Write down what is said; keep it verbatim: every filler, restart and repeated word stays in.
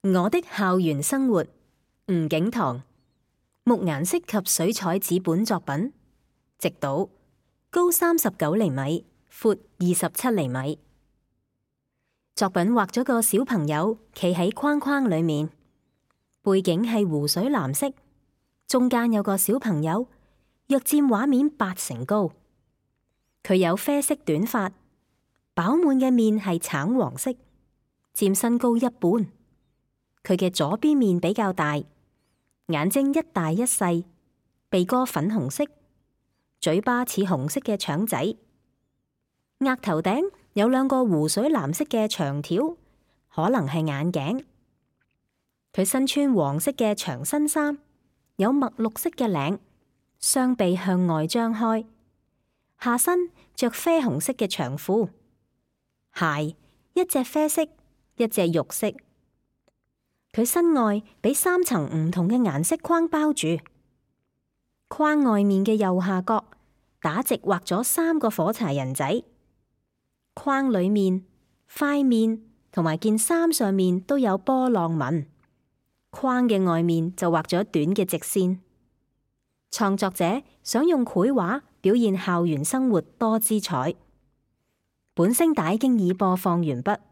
我的校園生活，吳景棠，木顏色及水彩紙本作品，直島，高三十九厘米，闊二十七厘米。作品畫咗個小朋友企喺框框裏面，背景係湖水藍色，中間有個小朋友，約佔畫面八成高。佢有啡色短髮，飽滿嘅面係橙黃色，佔身高一半。佢嘅左邊面比較大，眼睛一大一細，鼻哥粉紅色，嘴巴似紅色嘅腸仔，額頭頂有兩個湖水藍色嘅長條，可能係眼鏡。佢身穿黃色嘅長身衫，有墨綠色嘅領，雙臂向外張開，下身着啡紅色嘅長褲，鞋一隻啡色，一隻肉色。佢身外俾三層唔同嘅顏色框包住，框外面嘅右下角打直畫咗三個火柴人仔，框裏面、塊面同埋件衫上面都有波浪紋，框嘅外面就畫咗短嘅直線。創作者想用繪畫表現校園生活多姿彩。本聲帶經已播放完畢。